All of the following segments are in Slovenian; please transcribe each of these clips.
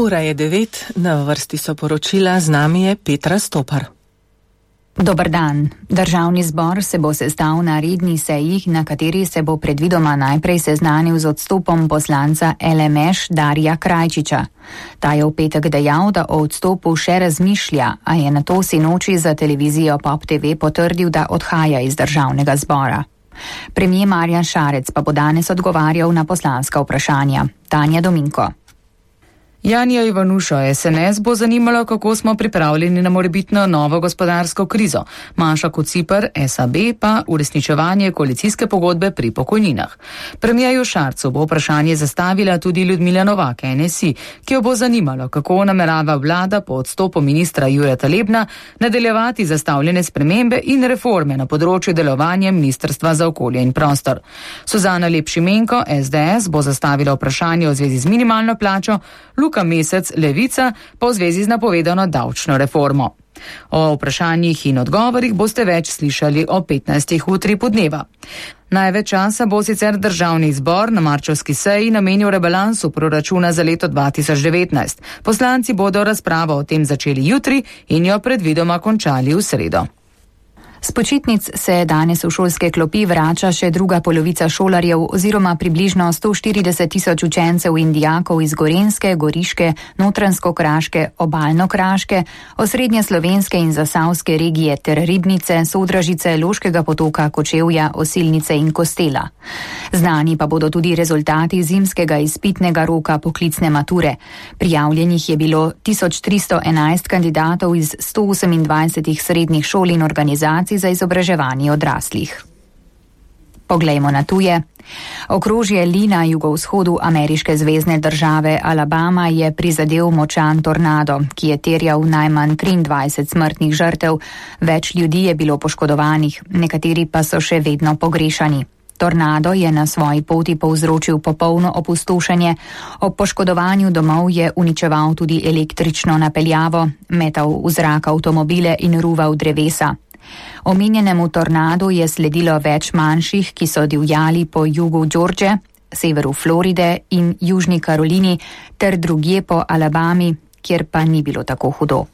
Ura je 9, na vrsti so poročila, z nami je Petra Stopar. Dober dan. Državni zbor se bo sestal na redni seji, na kateri se bo predvidoma najprej seznanil z odstopom poslanca LMŠ Darija Krajčiča. Ta je v petek dejal, da o odstopu še razmišlja, a je nato sinoči za televizijo Pop TV potrdil, da odhaja iz državnega zbora. Premier Marjan Šarec pa bo danes odgovarjal na poslanska vprašanja. Tanja Dominko. Janja Ivanušo, SNS bo zanimalo, kako smo pripravljeni na morebitno novo gospodarsko krizo. Maša Kociper, SAB pa uresničevanje koalicijske pogodbe pri pokojninah. Premierju Šarcu bo vprašanje zastavila tudi Ljudmila Novak, NSI, ki jo bo zanimalo, kako namerava vlada po odstopu ministra Jureta Lebna nadaljevati zastavljene spremembe in reforme na področju delovanja Ministrstva za okolje in prostor. Suzana Lep-Šimenko, SDS, bo zastavila vprašanje v zvezi z minimalno plačo, Luka Mesec, Levica, pa v zvezi z napovedano davčno reformo. O vprašanjih in odgovorih boste več slišali o 15. utri podneva. Največ časa bo sicer državni zbor na marčevski seji namenil rebalansu proračuna za leto 2019. Poslanci bodo razpravo o tem začeli jutri in jo predvidoma končali v sredo. S počitnic se danes v šolske klopi vrača še druga polovica šolarjev oziroma približno 140 tisoč učencev in dijakov iz Gorenjske, Goriške, Notranjsko-Kraške, Obalno-Kraške, osrednje slovenske in zasavske regije ter Ribnice, Sodražice, Loškega potoka, Kočevja, Osilnice in Kostela. Znani pa bodo tudi rezultati zimskega izpitnega roka poklicne mature. Prijavljenih je bilo 1311 kandidatov iz 128 srednjih šol in organizacij za izobraževanje odraslih. Poglejmo na tuje. Okrožje Lee na jugovzhodu ameriške zvezne države Alabama je prizadel močan tornado, ki je terjal najmanj 23 smrtnih žrtev. Več ljudi je bilo poškodovanih, nekateri pa so še vedno pogrešani. Tornado je na svoji poti povzročil popolno opustošenje. Ob poškodovanju domov je uničeval tudi električno napeljavo, metal v zrak avtomobile in ruval drevesa. Omenjenemu tornadu je sledilo več manjših, ki so divjali po jugu George, severu Floride in južni Karolini ter drugje po Alabami, kjer pa ni bilo tako hudo.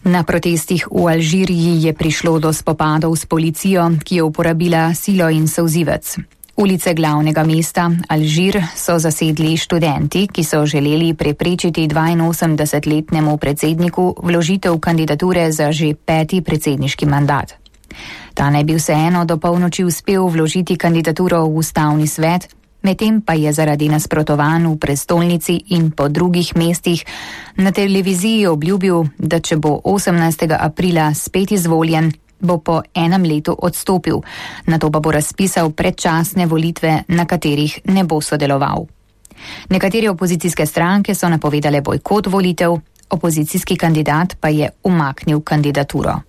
Na protestih v Alžiriji je prišlo do spopadov s policijo, ki je uporabila silo in solzivec. Ulice glavnega mesta Alžir so zasedli študenti, ki so želeli preprečiti 82-letnemu predsedniku vložitev kandidature za že 5. predsedniški mandat. Ta naj bi vseeno do polnoči uspel vložiti kandidaturo v ustavni svet, medtem pa je zaradi nasprotovanj v prestolnici in po drugih mestih na televiziji obljubil, da če bo 18. aprila spet izvoljen, bo po enem letu odstopil, nato pa bo razpisal predčasne volitve, na katerih ne bo sodeloval. Nekatere opozicijske stranke so napovedale bojkot volitev, opozicijski kandidat pa je umaknil kandidaturo.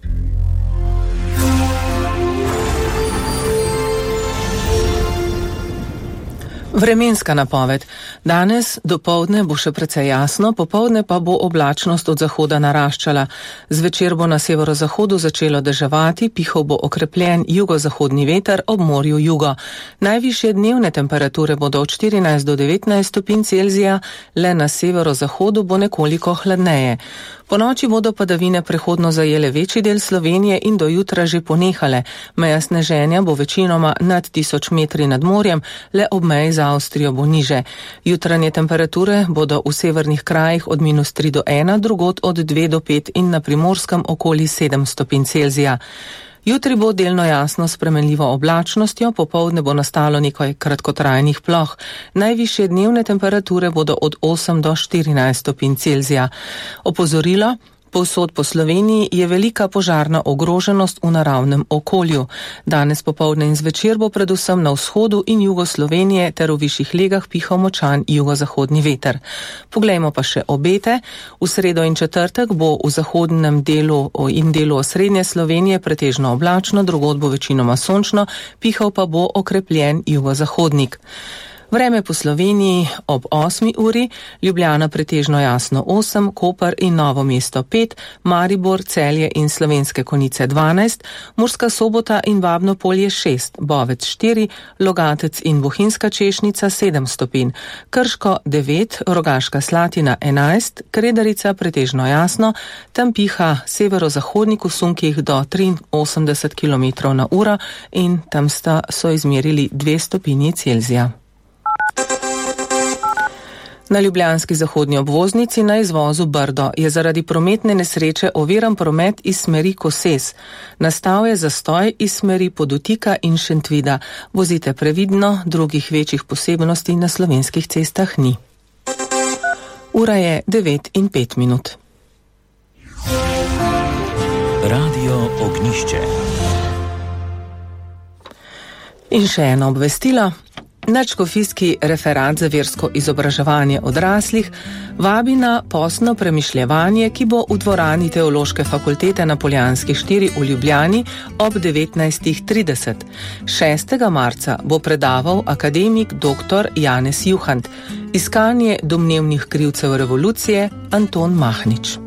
Vremenska napoved. Danes dopoldne bo še precej jasno, popoldne pa bo oblačnost od zahoda naraščala. Zvečer bo na severozahodu začelo deževati, pihal bo okrepljen jugozahodni veter, ob morju jugo. Najvišje dnevne temperature bodo od 14 do 19 stopinj Celzija, le na severozahodu bo nekoliko hladneje. Po noči bodo padavine prehodno zajele večji del Slovenije in do jutra že ponehale. Meja sneženja bo večinoma nad 1000 metri nad morjem, le ob meji za Avstrijo bo niže. Jutranje temperature bodo v severnih krajih od -3 do 1, drugod od 2 do 5 in na Primorskem okoli 7 stopinj Celzija. Jutri bo delno jasno s spremenljivo oblačnostjo, popoldne bo nastalo nekaj kratkotrajnih ploh. Najvišje dnevne temperature bodo od 8 do 14 stopinj Celzija. Opozorilo: povsod po Sloveniji je velika požarna ogroženost v naravnem okolju. Danes popoldne in zvečer bo predvsem na vzhodu in jugu Slovenije ter v višjih legah pihal močan jugozahodni veter. Poglejmo pa še obete. V sredo in četrtek bo v zahodnem delu in delu osrednje Slovenije pretežno oblačno, drugod bo večinoma sončno, pihal pa bo okrepljen jugozahodnik. Vreme po Sloveniji ob 8. uri, Ljubljana pretežno jasno 8, Koper in Novo mesto 5, Maribor, Celje in Slovenske Konjice 12, Murska Sobota in Babno Polje 6, Bovec 4, Logatec in Bohinjska Češnica 7 stopinj, Krško 9, Rogaška Slatina 11, Kredarica pretežno jasno, tam piha severozahodnik v sunkih do 83 km/h in tam so izmerili 2 stopinji Celzija. Na ljubljanski zahodnji obvoznici na izvozu Brdo je zaradi prometne nesreče oviran promet iz smeri Koses. Nastal je zastoj iz smeri Podutika in Šentvida. Vozite previdno, drugih večjih posebnosti na slovenskih cestah ni. Ura je 9:05. Radio Ognišče. In še eno obvestilo. Nadškofijski referat za versko izobraževanje odraslih vabi na postno premišljevanje, ki bo v dvorani Teološke fakultete na Poljanski 4 v Ljubljani ob 19:30. 6. marca bo predaval akademik dr. Janez Juhant, iskanje domnevnih krivcev revolucije Anton Mahnič.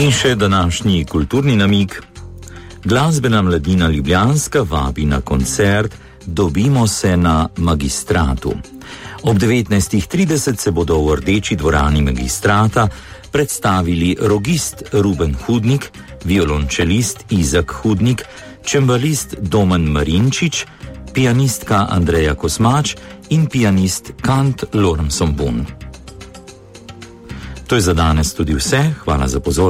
In še današnji kulturni namig. Glasbena mladina Ljubljanska vabi na koncert Dobimo se na Magistratu. Ob 19:30 se bodo v Rdeči dvorani Magistrata predstavili rogist Ruben Hudnik, violončelist Izak Hudnik, čembalist Domen Marinčič, pianistka Andreja Kosmač in pianist Kant Lormson Bun. To je za danes tudi vse. Hvala za pozornost.